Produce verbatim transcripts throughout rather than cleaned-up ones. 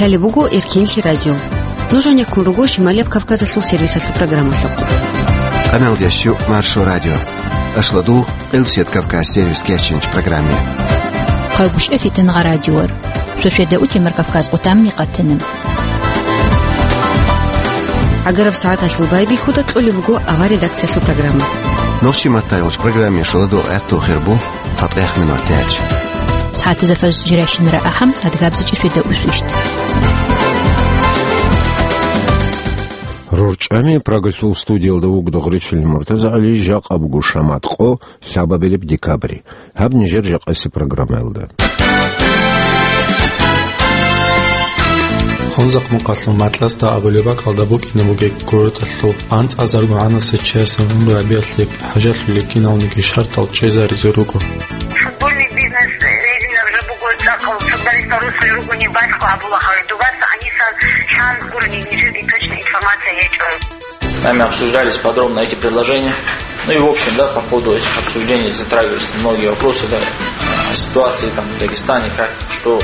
Лъалеб буго Эркенлъи радио. Нуж гьанеккун руго Шималияб Кавказалъул сервисалъул программалъухъ. Къаналдящу Маршо радио. Ашладул Къилсият Кавказ сервис кечинч программе. Хъайгушев Фитнагъа радиор. Шошеда утемар Кавказ къутамни къатана. Агараб сагӀаталъул байбихьуда кьолеб буго авар редакциялъул программа. Нохчи маттайолч программе шоладул гӀатту хирбу. ЦатӀех минут тяч. СагӀатазда фажр жирайщинара ахӀам, адгабзичӀи фида усвищт. РорчӀами Прагалъул студиялда вугда гъречил Муртаза ГӀали, жакъа буго шамат къо, лъабабилеб декабрь. Гьаб нижер жакъаси программаялда. Хунзахъ мукъалъул Матласда абулеб бакӀалда букӀине бугеб куруталъул анцӀазарго гӀанасел чиясе гӀумру гьабиялъе хӀажалъулел киналниги шартал чӀезаризе руго. Футбольный бизнес, э, резинов же буго цӀакъал, футболистал русский руго не баскла абула халидуваса, анисан чан гурни нижеги точно информация гьечӀо. Нами обсуждались подробно эти предложения. Ну и в общем, да, по ходу этих обсуждений затрагивались многие вопросы, да, о ситуации там в Дагестане, как, что.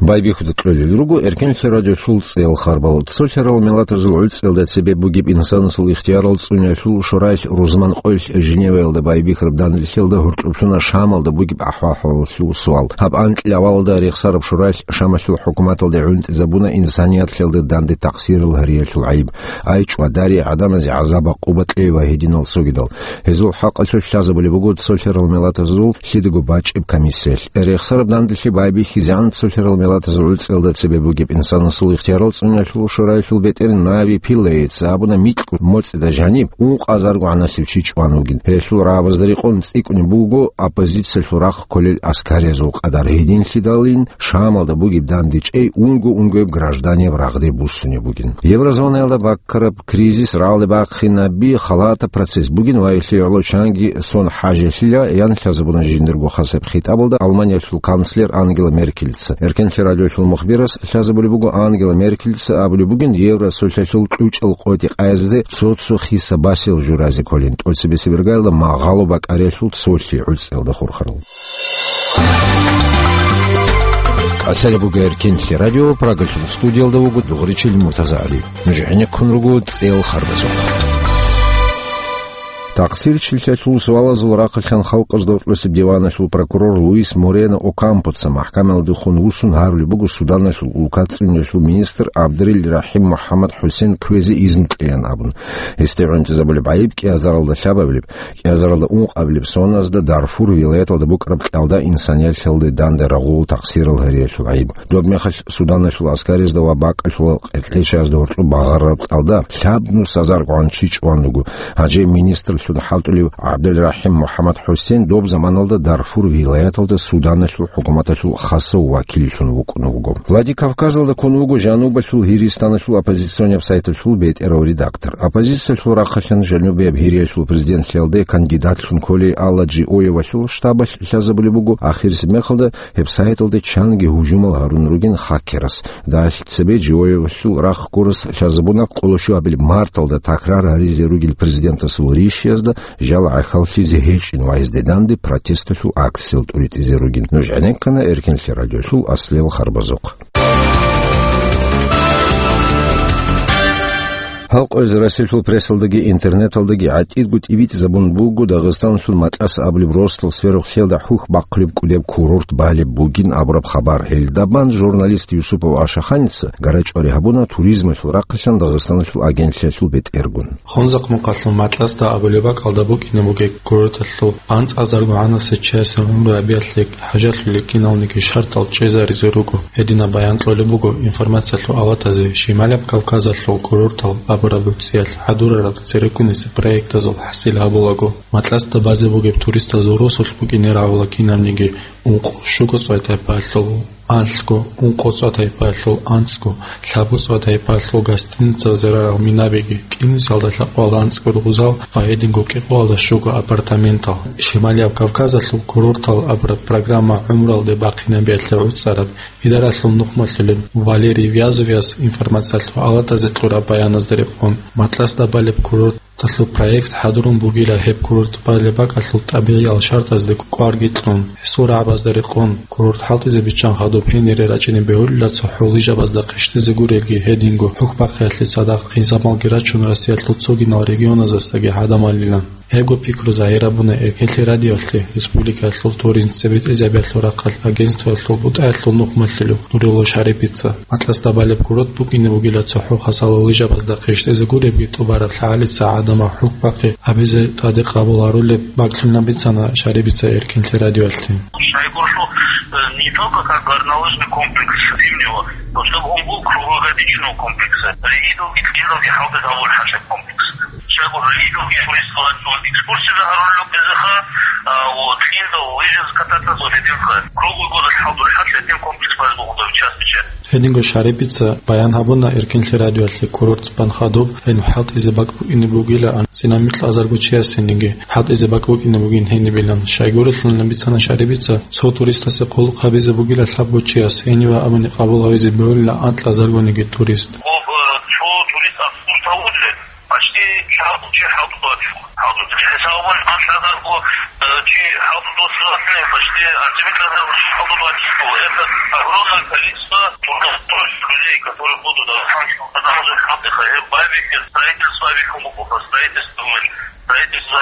Байбихьуда кьолел руго Эркенлъи радиолъул цӀел харбал. Цолъарал миллатазул гӀуцӀиялда цебе бугеб инсанасул ихтиярал цӀуниялъул шораялъ рузман къоялъ Женеваялда байбихьараб данделъиялда гьоркьоблъуна Шамалда бугеб ахӀвал-хӀалалъул суал. Гьаб анкьил авалалда рехсараб шораялъ Шамалъул хӀукуматалде гӀунтӀизабуна инсанияталда данде такъсирал гьариялъул гӀайиб. Ай, чӀвадарей гӀадамазе гӀазаб-гӀакъуба кьей ва гьединал цогидал. Гьезул хӀакъалъулъ лъазабулеб буго цолъарал миллатазул лъидаго бачӀеб комиссиялъ. Рехсараб данделъи байбихьизегӀан цолъарал миллатазул гӀуцӀиялда цебе бугеб инсанасул ихтиярал цӀуниялъул шораялъул бетӀер Нави Пиллейца абуна микьго моцӀида жаниб ункъазарго гӀанасев чи чӀван вугин. Гьелъул рагӀабазда рекъон цӀикӀкӀунеб буго оппозициялъул рахъ кколел аскариязул къадар. Гьединлъидалин Шамалда бугеб дандечӀей унго-унгояб гражданиял рагъде буссунеб бугин. Еврозонаялда баккараб кризис рагӀалде бахъинаби халатаб процесс бугин ва гьелъие гӀоло чанги сон хӀажалъила, ян лъазабуна жиндирго хасаб хитӀабалда Алманиялъул канцлер Ангела Меркельца. Эркенлъи радиолъул мухбирас лъазабулеб буго, Ангела Меркельца абулеб бугин, Евросоюзалъул кьучӀал къотӀи къаязде цо-цо хиса басел журазе кколин, тӀоцебесеб иргаялда магъало бакӀариялъул цолъи гӀуцӀиялда хурхарал. Лъалеб буго Эркенлъи радио, Прагалъул студиялда вуго дугъричил Муртаза ГӀали. Нуж гӀенеккун руго цӀел харбазухъ. Такъсирчилъалъул суалазул рахъалъан халкъазда гьоркьосеб диваналъул прокурор Луис Морено Окампоца махӀкамаялдехун вуссун гьарулеб буго Суданалъул улка цӀуниялъул министр ГӀабдурил РахӀим МухӀаммад ХӀусен кквезе изну кьеян абун. Гьесде гӀунтӀизабулеб гӀайиб кӀиазаралда лъабабилеб, кӀиазаралда ункъабилеб соназда Дарфур вилаяталда букӀараб кьалда инсанияталде данде рагъул такъсирал гьариялъул гӀайиб. Доб мехалъ Суданалъул аскаризда ва бакӀалъул къеркьечаязда гьоркьоб багъарараб кьалда лъабнус азарго гӀан чи чӀван руго. Гьанже министрлъун хӀалтӀулев ГӀабдулрахӀим МухӀаммад ХӀусен доб заманалда Дарфур вилаяталда Суданалъул хӀукуматалъул хасав вакиллъун вукӀун вуго. Владикавказалда ккун вуго жанубалъул Гьиристаналъул оппозиционяб сайталъул бетӀерав редактор. Оппозициялъул рахъалъан жанубияб Гьириялъул президентлъиялде кандидатлъун кколей Алла Джиоевалъул штабалъ лъазабулеб буго, ахирисеб мехалда гьеб сайталде чанги гьужумал гьарун ругин хакерас. Дагьалъ цебе Джиоевалъул рахъ гурас лъазабуна къоло щуабилеб марталда такрар гьаризе ругел президентасул ришиязда жал гӀахьаллъизе гьечӀин ва гьезде данде протесталъул акциял тӀуритӀизе ругин. Нуж гӀенеккана Эркенлъи радиолъул аслиял харбазухъ. Гьал къояз Россиялъул прессалдаги интернеталдаги гӀатӀидго тӀибитӀизабун буго Дагъистаналъул Матлас абулеб росдал сверухълъиялда хӀухь бахъулеб кӀудеб курорт балеб бугин абураб хабар. Гьелдабан журналист Юсупов Ашаханица гара-чӀвари гьабуна туризмалъул рахъалъан Дагъистаналъул агентлъиялъул бетӀергун. Хунзахъ мукъалъул Матласда абулеб бакӀалда букӀине бугеб курорталъул анцӀазарго гӀанасел чиясе гӀумру гьабиялъе хӀажалъулел киналниги шартал чӀезаризе руго. Гьединаб баян кьолеб буго информациялъул авлатазе Шималаб Кавказалъул курортал абураб гӀуцӀиялъ хӀадурараб цереккунесеб проектазул хӀасил гьабулаго. Матласда базе бугеб туристазул росулъ букӀине рагӀула кинабниги ункъо-щуго цӀвай-тайпаялъул анлъго, ункъо цӀвай-тайпаялъул анцӀго, лъабго цӀвай-тайпаялъул гостиницал зарарал минабиги, кӀинусиялда лъабкъоялда анцӀго ругъзал ва гьединго кӀикъоялда щуго апартаментал. Шималияб Кавказалъул курортал абураб программа гӀумруялде бахъинабиялъе гӀуцӀараб идаралъул нухмалъулеб Валерий Вязовияс информациялъул авлатазе кьураб баяназда рекъон, Матласда балеб курорт Алъул проект хӀадурун бугила гьеб курорт балеб бакӀалъул тӀабигӀиял шартӀазде кӀварги кьун, гьесул рагӀабазда рекъон, курорт хӀалтӀизе биччан хадуб гьенире рачӀине бегьулила цохӀо лыжабазда хъищтизе гурелги гьединго хӀухьбахъиялъе цадахъ хъизамалги рачун Россиялъул цогидал регионаздасаги гӀадамалилан. Гьебго пикру загьир гьабуна Эркенлъи радиоялъе республикаялъул туризм цебетӀезабиялъул рахъалъ агентствоялъул бутӀаялъул нухмалъулев Нурилов Шарипица. Матласда балеб курорт букӀине бугила цохӀо хасало лыжабазда хъищтизе гуребги тӀубараб лъагӀалица гӀадамал хӀухьбахъи гьабизе тӀаде къабул гьарулеб бакӀлъунилан бицана Шарипица Эркенлъи радиоялъе. Шайгуршлу, э, не только как горнолыжный комплекс зимнего, но чтобы он был круглогодичного комплекса. Рейдовый, рейдовый хӀалтӀизабул хӀаша комплекс. Шайгуршлу, рейдовый турист экскурсия гьарулел безаха, а, вот, линда, лыжи кататься, вот, один круглый год хӀалтӀул хӀаша, один комплекс базбухуда в частный часть. Гьединго Шарипица баян гьабуна Эркенлъи радиоялъе курорт бан хадуб гьениб хӀалтӀизе бакӀ букӀине бугила анцӀила микьазарго чиясениги, хӀалтӀизе бакӀ букӀине бугин гьенибилан. Щайгурелъул бицана Шарипица, цо туристасе хъулухъ гьабизе бугила лъабго чияс, гьениве абуни къабул гьавизе бегьулила анкьазаргониги турист. Об, э, цо турист автобус тавузе, почти лъабго чи хӀалтӀу бачун. ХӀалтӀу хӀисабун анкьазарго, э, чи хӀалтӀу досуласлъун, почти анцӀила микьазарго чи хӀалтӀу бачун. Это огромное количество трудоустроенных людей, которые будут, э, сам Строительство, строительство, строительство,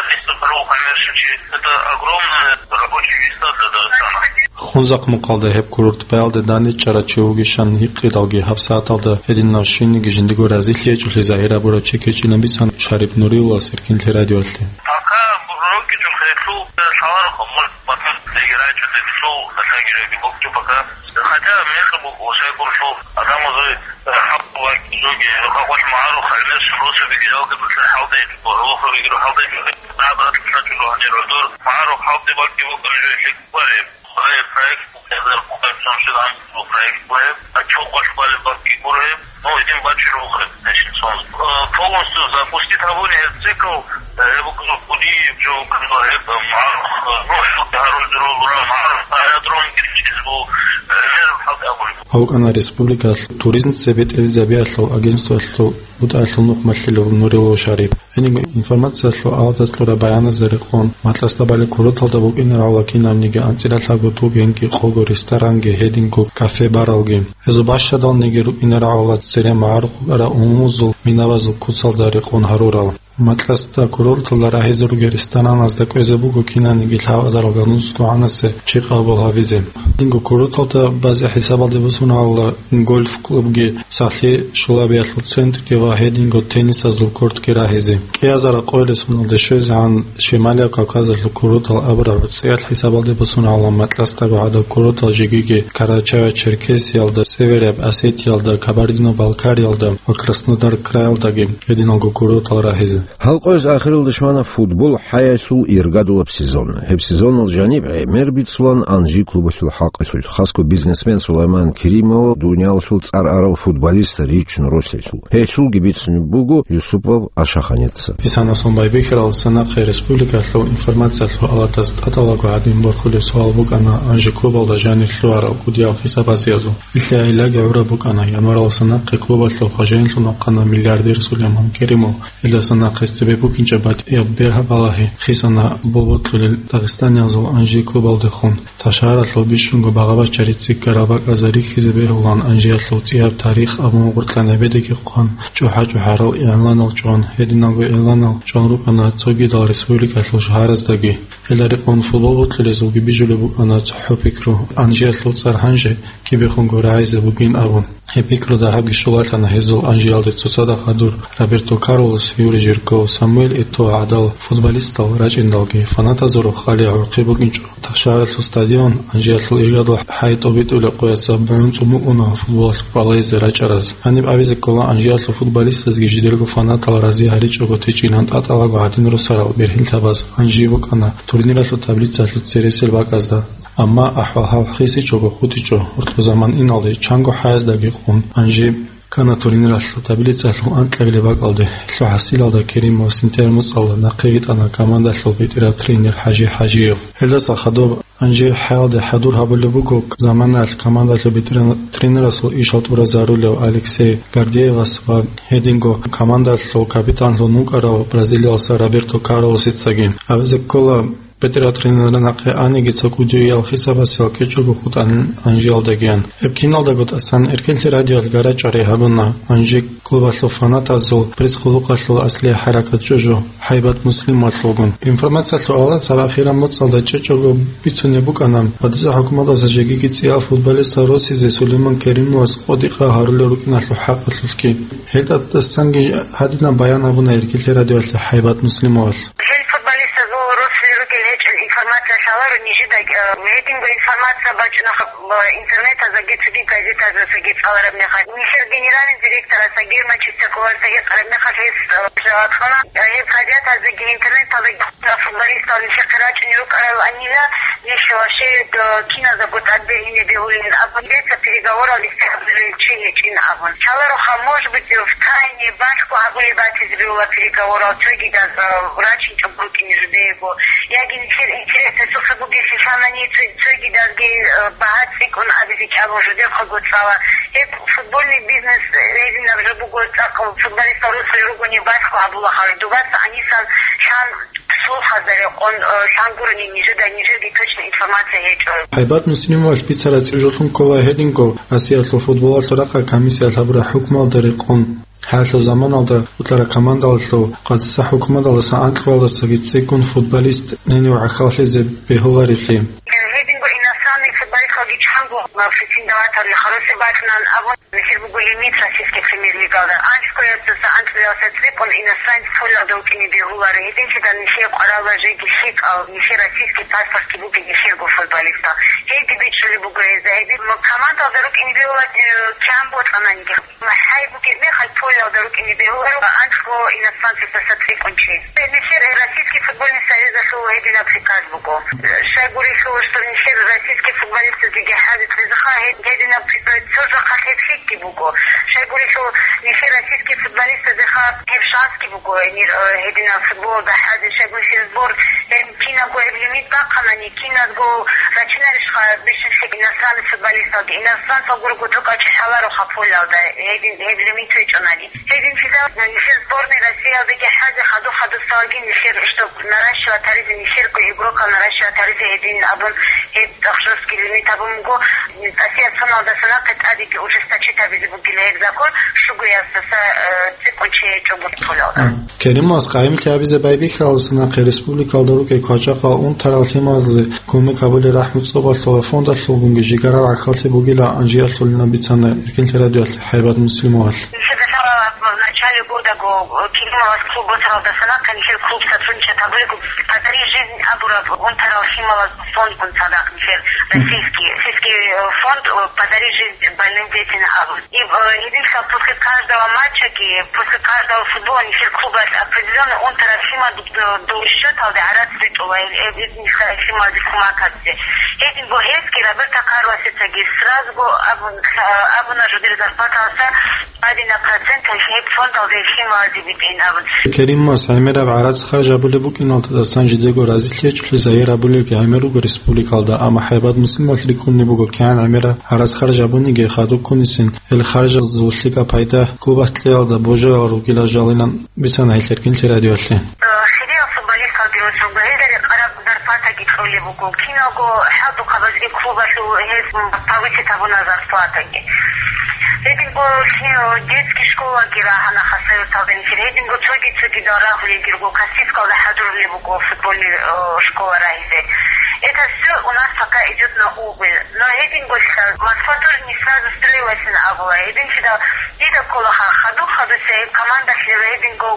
это огромные рабочие места для Дагестана. Хунзахъ мухъалда гьеб курорт баялде данде чӀарав чи вугищан гьикъидалги, гьабсагӀаталда гьединав щинниги жиндиго разилъи гьечӀолъи загьир гьабурав чи ккечӀилан бицана Шарип Нуриловас Эркенлъи радиоялъе. Пока рокьичӀо хӀеклъул лъаларо хъумул батан легерайчӀо децӀул лъагиреги бокьчӀо пока. Хотя мехаб буго Шайгуршлу адамазул, э, хӀакъ вакӀизоги, хӀакъалъ магӀарухъ гӀемер росаби гиялги буса хӀалдайчӀо, гьалахъуриги хӀалдайчӀо. Наб ратӀлъачӀо гьанир гӀодор, магӀарухъ хӀалде бакӀги букӀана жо лъикӀ бареб. Гъай проект букӀазар, букӀарцун шугӀан бу проект бугеб, а чукъвалъ балеб бакӀги гуреб, ну, идин бачӀун рухъе, значит, сон. Э, полностью запустить гьабуни гьеб цикл, э, гьеб букӀана кӀудияб жо букӀана гьеб, э, магӀарухъ, э, ну, хӀалде гьарулел дурал, магӀарухъ аэродром гьечӀиз бу, э, гьеб хӀалде абулеб. Гьав вукӀана республикалъ туризм цебетӀезабиялъул агентствоялъул бутӀаялъул нухмалъулев Нурилов Шарип. Гьениб информациялъул аваталъура баяназда рекъон, Матласда балеб курорталда букӀине рагӀула кинабниги анцӀила лъабго тӀубенги, къого ресторанги, гьединго кафе-баралги. Гьезул бащадалниги рукӀине рагӀула цере магӀарухъ букӀарал умумузул минабазул куцалда рекъон гьарурал. Матласда курорталда рагьизе ругел рестораназда кӀвезе буго кинаниги лъабазарал ганусго гӀанасе чи къабул гьавизе. Гьединго курорталда базе хӀисабалде босун гьавула гольф-клубги, сахлъи щулабиялъул центрги ва гьединго теннисазул кортги рагьизе. КӀиазарал къоялъ соналде щвезегӀан Шималияб Кавказалъул курортал абураб гӀуцӀиялъ хӀисабалде босун гьавула Матласдаго гӀадаб курортал жегиги Карачаево-Черкесиялда, Северяб Осетиялда, Кабардино-Балкариялда ва Краснодар краялдаги гьединалго курортал рагьизе. Гьал къоялъ ахиралда щвана футбол хӀаялъул иргадулаб сезон. Гьеб сезонал жаниб гӀемер бицулан Анжи клубалъул хӀакъалъулъ, хасго бизнесмен Сулайман Керимов дуниялалъул цӀар арал футболист ричун ролъелъул. Гьелъулги бицунеб буго Юсупов Ашаханица. Исанасон байбихьаралдаса нахъе республикалъул информациялъул аватас тӀадалаго гьадин борхулеб суал букӀана Анжи клубалда жанир лъугьарал кӀудиял хӀисабазиязул. Илъа гӀиллаги гӀураб букӀана, январалдаса нахъе клубалъул хважаинлъун вахъана миллиардер Сулайман Керимов. Гьелдаса нахъе цебе букӀинчӀеб батӀияб бергьаб балагьи хисана болботлъулел дагъистаниязул Анжи клубалдехун. Ташаралъул бищунго багъа-бачари цӀикӀкӀарал бакӀазда рихьизе бегьулан Анжиялъул цӀияб тарих абун гъоркьа небедаги хъван, чӀухӀа-чӀухӀарал игӀланал чӀван, гьединалго игӀланал чӀван рукӀана цогидал республикалъул шагьараздаги. Гьелда рекъон футбол бокьулезулги бижулеб букӀана цохӀо пикру, Анжиялъул цӀар гьанже кибехунго рагӀизе бугин абун. Гьеб пикру дагьабги щулалъана гьезул Анжиялде цоцазда хадур Роберто Карлос, Юрий Жирков, Самуэль Eto'о гӀадал футболистал рачӀиндалги, фанатазул рохалил гӀурхъи букӀинчӀо. Ташаралъул стадион, Анжиялъул иргадул хӀай тӀобитӀулеб къояца бугӀун цӀун букӀуна футболалъухъ балайзе рачӀараз. Гьаниб абизе ккола, Анжиялъул футболистазги жидерго фанатал рази гьаричӀого течӀилан тӀатӀалаго гьадин росарал бергьинлъабаз Анжи букӀана турниралъул таблицаялъул цересел бакӀазда. Амма ахӀвал-хӀал хисичӀого хутӀичӀо, гьоркьо заман иналде чанго хӀаяздаги къун Анжи ккана турниралъул таблицаялъул анкьабилеб бакӀалде. Гьелъул хӀасилалда Керимов синтер муцӀалда нахъе витӀана командалъул бетӀерав тренер ХӀажи ХӀажиев. Гьелдаса хадуб гьанжи-хӀалде хӀадур гьабулеб буго заманаялъ командалъул бетӀерав тренерасул ишал тӀуразарулев Алексей Гордеевас ва гьединго командалъул капитанлъун вукӀарав бразилиялса Роберто Карлосицаги. Абизе ккола, бетӀерав тренерасда нахъе аниги цо кӀудиял хисабасел кьечӀого хутӀанин гьанжиялдагиян. Гьеб киналдаго тӀасан Эркенлъи радиоялъ гарачӀа рагӀи гьабуна гьанжи клубалъул фанатазул пресс-хъулухъалъул аслияб хӀаракат чӀужу ХӀайбат Муслимовалъулгун. Информациялъул алар цабахъ хираб муцӀалда чӀечӀого бицунеб букӀана ГьадисахӀ хӀукуматалдаса жегиги цӀиял футболистал росизе Сулейман Керимовас къотӀи-къа гьарулел рукӀиналъул хӀакъалъулъги. Гьелда тӀасанги гьадинаб баян гьабуна Эркенлъи радиоялъе ХӀайбат Муслимовалъ. Гьел футболистазул росулел ругел гьечӀел информация лъаларо нижеда, э, гьединго информация бачӀуна, э, интернетаздаги цоги газетаздасаги цӀалараб мехалъ. Нижер генеральный директорасдаги, Манчестер клубасдаги къараб мехалъ гьес, э, жаваб кьуна, э, гьеб газетаздаги интернеталдаги футболистал нижехъе рачӀунел рукӀарал анила, ниж вообще, э, киназдаго тӀад бегьине бегьулин абун, дица переговорал исти гьабулел чи гьечӀин абун. Лъалароха, может быть, в тайне балъго гьабулеб батизе бегьула переговорал, цогидаз, э, рачинчӀого рукӀине жидеего, яги нилъер интересалъухъе бугеблъи лъанани цо-, цогидазги, э, багьа цӀикӀкӀун абизе кӀиябго жидехъего цӀала. Гьеб футбольный бизнес, э, гьединаб жо буго, цӀакъ футболистал росулел ругони балъго гьабула гьал. Дубаса гьанисан лъан слухазда рекъон, э, лъан гурони нижеда, нижерги точно информация гьечӀо. ХӀайбат Муслимовалъ бицараб чӀужулъун ккола гьединго Россиялъул футболалъул рахъалъ комиссиялъ гьабураб хӀукмуялда рекъон. ХӀалалъул заманалда утӀараб командалъул къадиса хӀукуматалдаса анкьабилалдасаги цӀикӀкӀун футболист гьенив гӀахьаллъизе бегьулареблъи. Гьединго иностранный футболисталги чанго претендовать гьабулел харусеб бакӀнан абун, нилъер буго лимит российский премьер-лигалда. АнцӀкояздаса анцӀкоялдаса цӀикӀкӀун иностранец полалда вукӀине бегьуларо. Гьединлъидал нилъее къваралда жеги лъикӀал, нилъер российский паспортги бугин нилъерго футболистал. Гьелги бичӀчӀулеб буго гьезда. Гьедин командалда рукӀине бегьула, э, кигӀан бокьананиги. ХӀай бугеб мехалъ полалда рукӀине бегьуларо анцӀго иностранцасдаса цӀикӀкӀун чи. Нилъер Российский футбольный союзалъул гьединаб приказ буго. Щайгурелъул, что нилъер российский футболистазеги хӀазе кьезеха гьед-, гьединаб приказ цо жахъалъ гьеб лъикӀги буго. Щайгурелъул, нилъер российский футболистазеха гьеб шансги буго, гьенир, э, гьединаб футболалда хӀазе, щайгурелъул сбор, гьеб кинабго гьеб лимит бахъанани, киназго рачинарищха бищунлъи иностранный футболисталги, иностранцал гурого цо кӀачӀи лъалароха полалда, гьедин, гьеб лимит гьечӀонани. Гьединлъидал нилъер сборный Россиялдаги хӀазе хадур-хадусалаги нилъер, чтоб наращивать гьаризе, нилъерго игрокал наращивать гьаризе гьедин абун, гьеб цӀакъ жесткий лимит абун буго. Россия цоналдаса нахъе тӀадеги ужесточить гьабизе бугила гьеб закон, щугояздаса, э, цӀикӀкӀун чи гьечӀого полалда. Керимовас къайимлъи гьабизе байбихьаралдаса нахъе республикалда рукӀей квачахъал унтарал лъималазе кумек гьабулел рахӀму цӀобалъула фондалъулгунги жигарал гӀахьаллъи бугила анжиялъулина бицана Эркенлъи радиоялъе ХӀайбат Муслимовалъ. Нилъеда лъала в начале года го Керимовас клуб босаралдаса нахъе нилъер клуб сотрудничать гьабулеб буго «Подари жизнь» абураб унтарал лъималаз фондгун цадахъ нилъер российский, российский, э, фонд, э, «Подари жизнь больным детям» абун. И, э, гьединлъидал после каждого матчаги, после каждого футбола нилъер клубалъ определённый унтараб лъимал, э, дов счёталде гӀарац ритӀула, э, э, нилъер лъималазе кумек гьабизе. Гьединго гьесги Роберто Карлосицаги сразу абун, э, абуна жидер зарплаталдаса гьадинаб процент гьеб фондалде лъималазе битӀин абун. Керимовас гӀемераб гӀарац харж гьабулеб букӀиналдасан жидего разилъи гьечӀолъи загьир гьабулелги гӀемер руго республикалда, амма ХӀайбат Муслимовалъ рикӀкӀунеб буго, кигӀан гӀемераб гьарас харж гьабуниги хадуб ккунисин, гьел харжазул лъикӀаб пайда клубалъ кьеялда божоял ругила жалилан бицана гьелъ Эркенлъи радиоялъе. Э, хириял футболисталги росулго гьелда рекъараб зарплатаги кьолеб буго, киналго хӀалдухъабазги клубалъул гьез повысить гьабуна зарплатаги. Гьединго лъи-, детский школаги рагьана Хасавюрталда нилъер, гьединго цоги-цогидал рагьулелги руго, Каспийскалда хӀадурулеб буго футбольный, э, школа рагьизе. Это всё у нас пока идёт на убыль. Но гьединго лъал Москва тоже не сразу строилась абула. Гьединлъидал дида кколаха, хадур-хадусе гьеб командалъе гьединго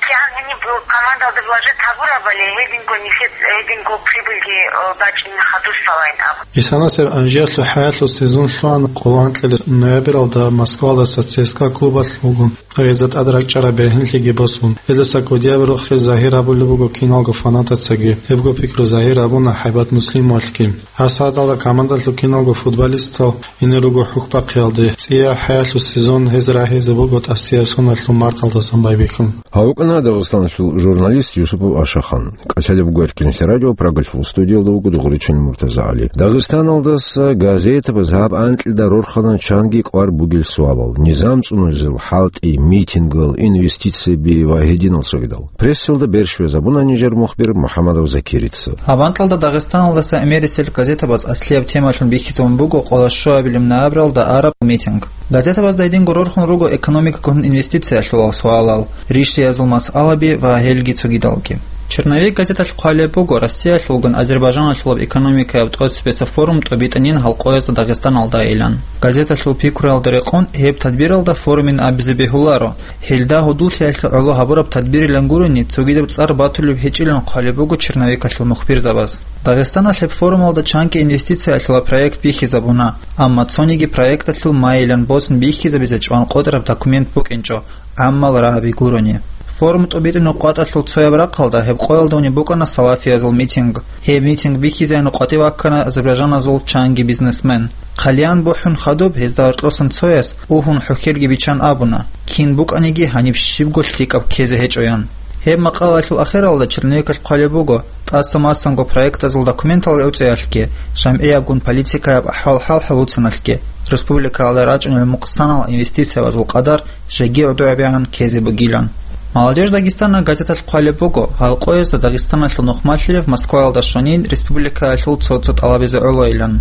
кигӀан гьениб командалда вложить гьабурабали, гьединго нилъер, гьединго прибыльги, э, бачӀине хадусалайин абун. Исанасеб анжиялъул хӀаялъул сезон лъугьана къоло анкьилел ноябралда Москвалдаса ЦСКА клубалъ вугун. Гьезда тӀад ракӀчӀараб бергьенлъиги босун, гьездаса кодияб рохел загьир гьабулеб буго киналго фанатацаги. Гьебго пикру загьир гьабуна ХӀайбат Муслимовалъги. Гьасадалда командалъул киналго футболистал ине руго хӀухьбахъиялде. ЦӀия хӀаялъул сезон гьез рагьизе буго тӀасияб соналъул марталдасан байбихьун. Гьав вукӀана Дагъистаналъул журналист Юсупов Ашахан. КӀалъалеб буго Эркенлъи радио, Прагалъул студиялда вуго Дугъричан МуртазагӀали. Дагъистаналдаса газетабаз гьаб анкьида рорхана чанги кӀвар бугел суалал: низам цӀунулезул хӀалтӀи, митингал, инвестицияби ва гьединал цогидал. Прессалда берщвезабуна нижер мухбир МухӀамадов Закирица. Гьаб анкьалда Дагъистаналдаса гӀемерисел газетабаз аслияб темалъун бихьизабун буго къоло щуабилеб ноябралда араб митинг. Газетабазда гьединго рорхун руго экономикагун инвестициялъулал суалал, ришиязул масъалаби ва гьелги цогидалги. «Черновик» газеталъ хъвалеб буго Россиялъулгун Азербайджаналъулаб экономикаяб тӀоцебесеб форум тӀубитӀанин гьалкъоязда Дагъистаналдайилан. Газеталъул пикруялда рекъон гьеб тадбиралда форумин абизе бегьуларо. Гьелда гьудуллъиялъе гӀоло гьабураб тадбирилан гурони, цогидаб цӀар батулеб гьечӀилан хъвалеб буго черновикалъул мухбирзабаз. Дагъистаналъ гьеб форумалда чанги инвестициялъула проект бихьизабуна, амма цониги проекталъул майилан босун бихьизабизе чӀван къотӀараб документ букӀинчӀо, гӀаммал рагӀаби гурони. Форум тӀубитӀунеб къватӀалъул цояб рахъалда гьеб къоялда унеб букӀана салафиязул митинг. Гьеб митинг бихьизаян къватӀив ваккана азербайджаназул чанги бизнесмен. Хъалиян бухӀун хадуб, гьезда гьоркьосан цояс, угьун хӀухьелги биччан абуна, кин букӀаниги гьаниб щибго лъикӀаб ккезе гьечӀоян. Гьеб макъалаялъул ахиралда черновикалъ хъвалеб буго, тӀаса-масанго проектазул документал гӀуцӀиялъги, жамгӀиябгун политикаяб ахӀвал-хӀал хӀалуцаналъги, республикаялда рачӀунел мукъсанал инвестициябазул къадар жеги гӀодобегӀан ккезе бугилан. «Молодёжь Дагестана» газеталъ хъвалеб буго, гьалкъоязда Дагъистаналъул нухмалъилев Москваялда щванин республикаялъул цо-цо тӀалабизе гӀолойилан.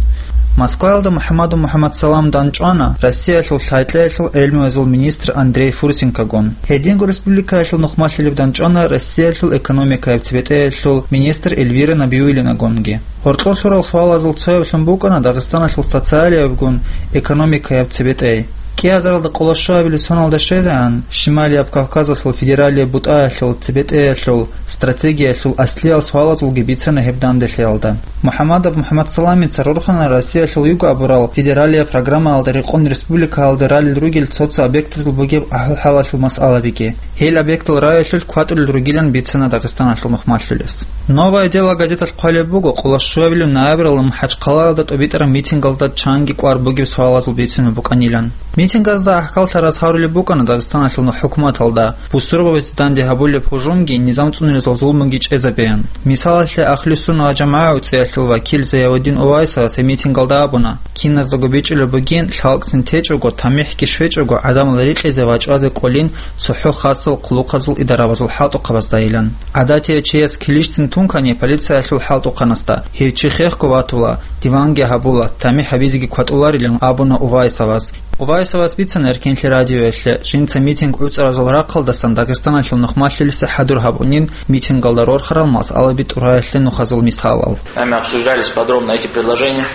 Москваялда МухӀаммадов МухӀаммадсалам данчӀвана Россиялъул лъай-кьеялъул гӀелмуязул министр Андрей Фурсенкогун. Гьединго республикаялъул нухмалъилев данчӀвана Россиялъул экономикаяб цебетӀеялъул министр Эльвира Набиуллинагунги. Гьоркьор лъурал суалазул цояблъун букӀана Дагъистаналъул социалиябгун экономикаяб цебетӀей. КӀиазаралда къоло щуабилеб соналда щвезегӀан, Шималияб Кавказалъул федералияб бутӀаялъул цебетӀеялъул стратегиялъул аслиял суалазулги бицана гьеб данделъиялда. МухӀаммадов МухӀаммадсаламица рорхана Россиялъул юго абурал федералияб программаялда рекъон республикаялда ралел ругел цо-цо объектазул бугеб ахӀвал-хӀалалъул масъалабиги. Гьел объектал районалъулъ кватӀулел ругилан бицана Дагъистаналъул нухмалъилес. «Новое дело» газеталъ хъвалеб буго къоло щуабилеб ноябралда МахӀачхъалаялда тӀубитӀараб митингалда чанги кӀвар бугеб суалазул бицунеб букӀанилан. Митингазда гӀахьаллъараз гьарулеб букӀана Дагъистаналъул хӀукуматалда, бусурбабазе данде гьабулеб гьужумги, низам цӀунулезул зулмуги чӀезабеян. Мисалалъе, Ахлу-Сунна ва ЖамагӀа уцӀиялъул вакил Зиявуддин Увайсовас гьеб митингалда абуна, киназдаго бичӀчӀулеб бугин, лъалкӀцин течӀого, тамихӀги щвечӀого, гӀадамал рикьизе ва чӀвазе кӀолин цохӀо хасал хъулухъазул идарабазул хӀалтӀухъабаздайилан. ГӀадатияв чияс килищцин тункани полициялъул хӀалтӀухъанасда, гьев чи хехго ватула, диванги гьабула, тамихӀ гьабизеги кватӀуларилан абуна Увайсовас. Увайсовас бицана Эркенлъи радиоялъе, жинца митинг гӀуцӀаразул рахъалдасан Дагъистаналъул нухмалъилиса хӀадур гьабунин митингалда рорхарал масъалаби тӀураялъе нухазул мисалал. Нами обсуждались подробно эти предложения.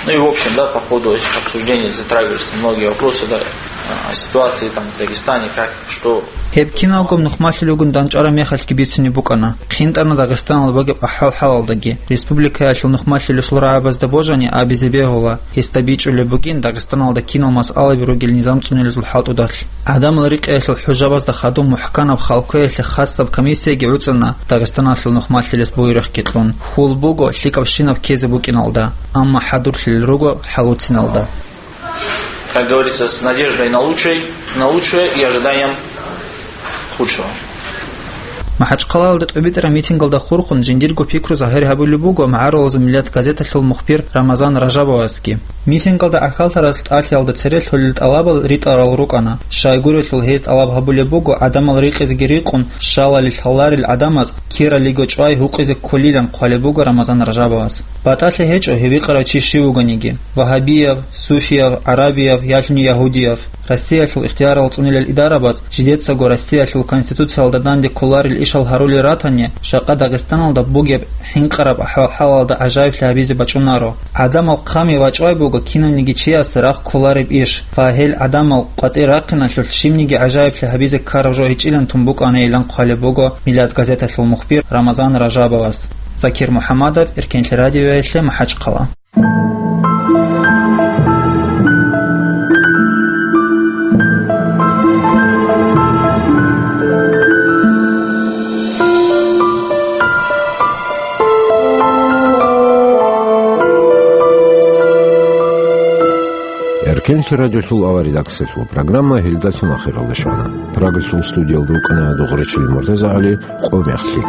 Ну и в общем, да, по ходу этих обсуждений затрагивались многие вопросы, да, о ситуации там в Дагестане, как, что. Гьеб киналго нухмалъилигун данчӀвараб мехалъги бицунеб букӀана, хъинтӀана Дагъистаналда бугеб ахӀвал-хӀалалдаги, республикаялъул нухмалъилесул рагӀабазда божани абизе бегьула, гьесда бичӀчӀулеб бугин Дагъистаналда кинал масъалаби ругел низам цӀунилезул хӀалтӀудалъ. ГӀадамал рикьиялъул хӀужабазда хадуб мухӀканаб халкъоялъе хасаб комиссияги гӀуцӀана Дагъистаналъул нухмалъилес буйрухъги кьун, хьул буго лъикӀабщинаб ккезе букӀиналда, амма хӀадурлъилел руго хӀалуциналда. Как говорится, с надеждой на лучшее, на лучшее и ожиданием худшего. МахӀачхъалаялда тӀубитӀараб митингалда хурхун жиндирго пикру загьир гьабулеб буго МагӀарулазул миллат газеталъул мухбир Рамазан Ражабовасги. Митингалда гӀахьаллъараз тӀалъиялда цере лъолел тӀалабал ритӀарал рукӀана. Щайгурелъул гьез тӀалаб гьабулеб буго гӀадамал рикьизеги рикъун, щалали лъаларел гӀадамаз киралиго чӀвай гьукъизе кколилан хъвалеб буго Рамазан Ражабовас. БатӀалъи гьечӀо гьев гьикъарав чи щив вугониги: вагьабияв, суфияв, гӀарабияв, ялъуни ягьудияв. Россиялъул ихтиярал цӀунилел идарабаз жидецаго Россиялъул Конституциялда данде кколарел ишал гьарулел ратани, жакъа Дагъистаналда бугеб хӀинкъараб ахӀвал-хӀалалда гӀажаиблъи гьабизе бачӀунаро. ГӀадамал хъами вачӀвай буго кинавниги чиясе рахъ кколареб иш ва гьел гӀадамал къватӀир рахъиналъулъ щибниги гӀажаиблъи гьабизе ккараб жо гьечӀилан тун букӀанайилан хъвалеб буго Миллат газеталъул мухбир Рамазан Ражабовас. Закир МухӀаммадов, Эркенлъи радиоялъе, МахӀачхъала. Пенсий радиолъул авар редакциялъул программа гьелдалъун ахиралде щвана. Прагалъул студиялда рукӀана Дугъречил МуртазагӀали. Къо мехлъи.